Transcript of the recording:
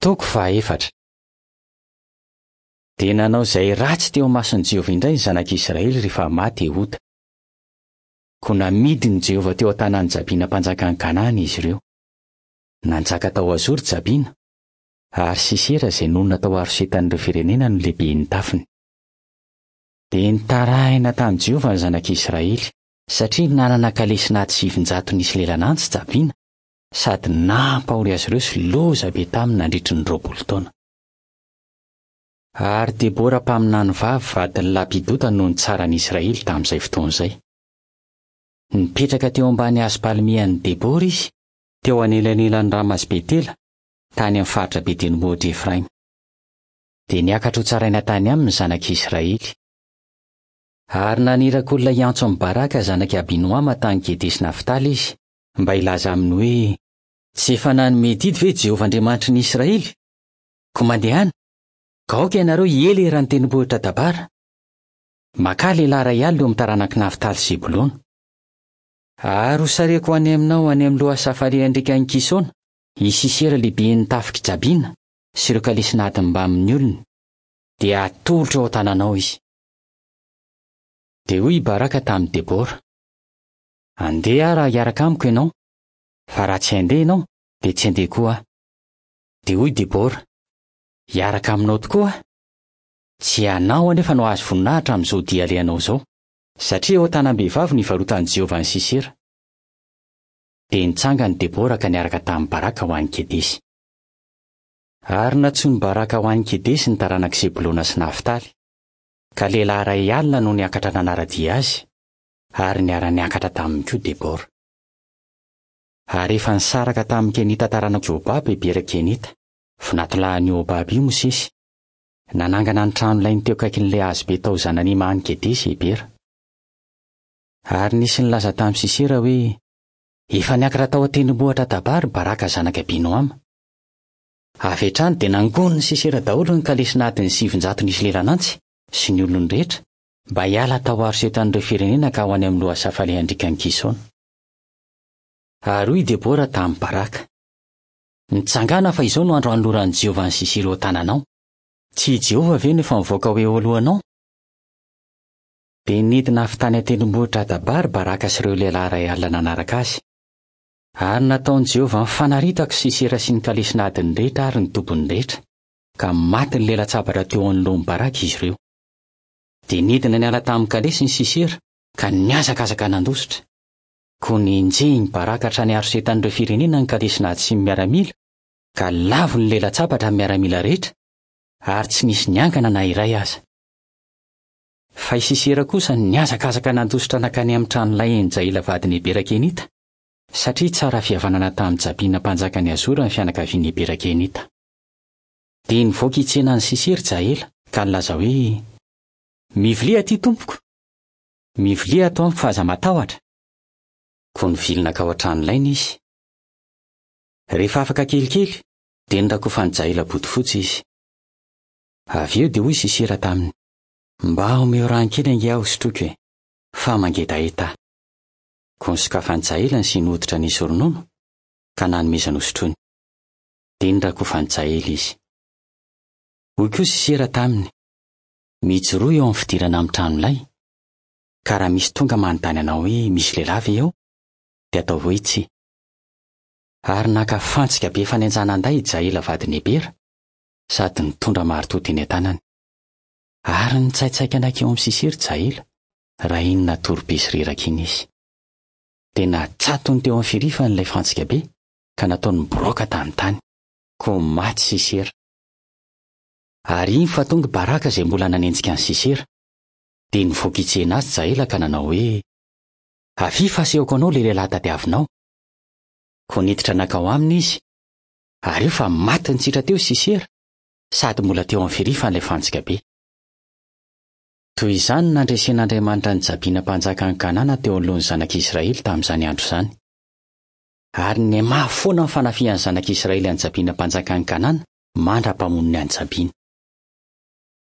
Toko fahaefatra. Dia nanao izay ratsy teo imason'i Jehovah indray ny zanak'Israely rehefa maty Ehoda. Koa namidin'i Jehovah teo an-tanan'i Jabina mpanjakan'i Kanana izy ireo. Nanjaka tao Hazoro Jabina, ary Sisera izay nonina tao Harosetan'ireo firenena no lehiben'ny tafiny. Dia nitarahina tamin'i Jehovah ny zanak'Israely, satria nanana kalesin'ady 900 nisy lelan'antsy Jabina, sady nampahory azy ireo sy loza be taminy nandritry ny 20 taona. Ary Debora mpaminany vavy vadin'i Lapidota no nitsara ny Israely tamin'izay fotoana izay. Nipetraka teo ambany hazo palmie an'i Debora izy, teo anelanelan'i Rama sy Betela, tany amin'ny faritra be tendrombohitr'i Efraima. Dia niakatra hotsaraina tany aminy ny zanak'Israely. Ary naniraka olona hiantso an'i Baraka zanak'i Abinoama tany Kedesy-Naftaly izy, mba hilaza aminy hoe, Tsy efa nanome didy ve Jehovah Andriamanitry ny Israely? Koa mandehana, ka aoka ianareo hiely eran'ny tendrombohitra Tabara. Makà lehilahy iray alina eo amin'ny taranak'i Naftaly sy Zebolona. Ary hosareko ho any aminao any amin'ny lohasaha falehan-driakan'i Kisona, i Sisera lehiben'ny tafik'i Jabina sy ireo kalesin'adiny mbamin'ny olony, dia hatolotro eo an-tananao izy. Dia hoy i Baraka tamin'i Debora, Andeha aho raha hiaraka amiko ianao, fa raha tsy handeha ianao, dia tsy handeha koa aho. Dia hoy Debora, Hiaraka aminao tokoa aho. Tsy ianao anefa no hahazo voninahitra amin'izao dia alehanao izao, satria eo an-tanam-behivavy no ivarotan'i Jehovah an'i Sisera. Dia nitsangana i Debora ka niaraka tamin'i Baraka ho any Kedesy. Ary nantsoin'i Baraka ho any Kedesy ny taranak'i Zebolona sy Naftaly, ka lehilahy iray alina no niakatra nanara-dia azy, ary niara-niakatra taminy koa Debora. Ary efa nisaraka tamin'ny Kenita taranak'i Hobaba i Bera Kenita, vinatolahin'i Hobaba io Mosesy. Nanangana ny tranolainy teo akaikin'ilay hazobe tao Zananima any Kedesy i Hebera. Ary nisy nilaza tamin'i Sisera hoe, Efa niakatra tao an-tendrombohitra Tabary Baraka zanak'i Abinoama. Avy hatrany dia nangonin'i Sisera daholo ny kalesin'adiny 900 nisy lelan'antsy sy ny olony rehetra, mba hiala tao Harosetan'ireo firenena ka ho any amin'ny lohasaha falehan-driakan'i Kisona. Ary hoy i Debora tamin'i Baraka, Mitsangàna fa izao no andro hanoloran'i Jehovah an'i Sisera eo an-tananao. Tsy i Jehovah ve no efa mivoaka ho eo alohanao? Dia nidina avy tany an-tendrombohitra Tabary Baraka sy ireo lehilahy iray alina nanaraka azy. Ary nataon'i Jehovah nifanaritaka i Sisera sy ny kalesin'adiny rehetra ary ny tobiny rehetra, ka matin'ny lela-tsabatra teo anoloan'i Baraka izy ireo. Dia nidina niala tamin'ny kalesiny Sisera, ka nihazakazaka nandositra. Koa nenjehin'i Baraka hatrany Harosetan'ireo firenena ny kalesin'ady sy ny miaramila, ka lavo ny lela-tsabatra amin'ny miaramila rehetra, ary tsy nisy niangana na iray aza. Fa i Sisera kosa nihazakazaka nandositra nankany amin'ny tranolahin'i Jaela vadin'i Hebera Kenita, satria tsara fihavanana tamin'i Jabina mpanjakan'i Hazora ny fianakavian'i Hebera Kenita. Dia nivoaka hitsena an'i Sisera i Jaela, ka nilaza hoe, Mivilia aty, tompoko! Mivilia ato amiko fa aza matahotra! Koa nivily nankao an-tranolainy izy. Rehefa afaka kelikely, dia norakofan'i Jaela bodofotsy izy. Avy eo dia hoy Sisera taminy, Mba omeo rano kely ange aho hosotroiko e, fa mangetaheta aho. Koa nosokafan'i Jaela ny siny hoditra nisy ronono, ka nanomezany hosotroiny. Dia norakofan'i Jaela izy. Hoy koa Sisera taminy, Mijoroa eo amin'ny fidirana amin'ny tranolay, ka raha misy tonga manontany anao hoe misy lehilahy ve eo, dia ataovy hoe tsia. Ary naka fantsika be fanenjanan-day i Jaela vadin'i Hebera, sady nitondra maritoa teny an-tanany. Ary nitsaitsaika nankeo amin'i Sisera i Jaela, raha iny natory be sy reraka iny izy. Dia natsatony teo amin'ny firifany ilay fantsika be, ka nataony niboroaka tamin'ny tany. Koa maty Sisera. Ary iny fa tonga i Baraka izay mbola nanenjika an'i Sisera. Dia nivoaka hitsena azy Jaela ka nanao hoe, Avia fa asehoko anao ilay lehilahy tadiavinao. Koa niditra nankao aminy izy, ary io fa maty nitsitra teo Sisera, sady mbola teo amin'ny firifany ilay fantsika be. Toy izany no nandresen'Andriamanitra an'i Jabina mpanjakan'i Kanana teo anoloan'ny zanak'Israely tamin'izany andro izany. Ary nihamafy foana ny fanafihan'ny zanak'Israely an'i Jabina mpanjakan'i Kanana mandra-pamonony an'i Jabina.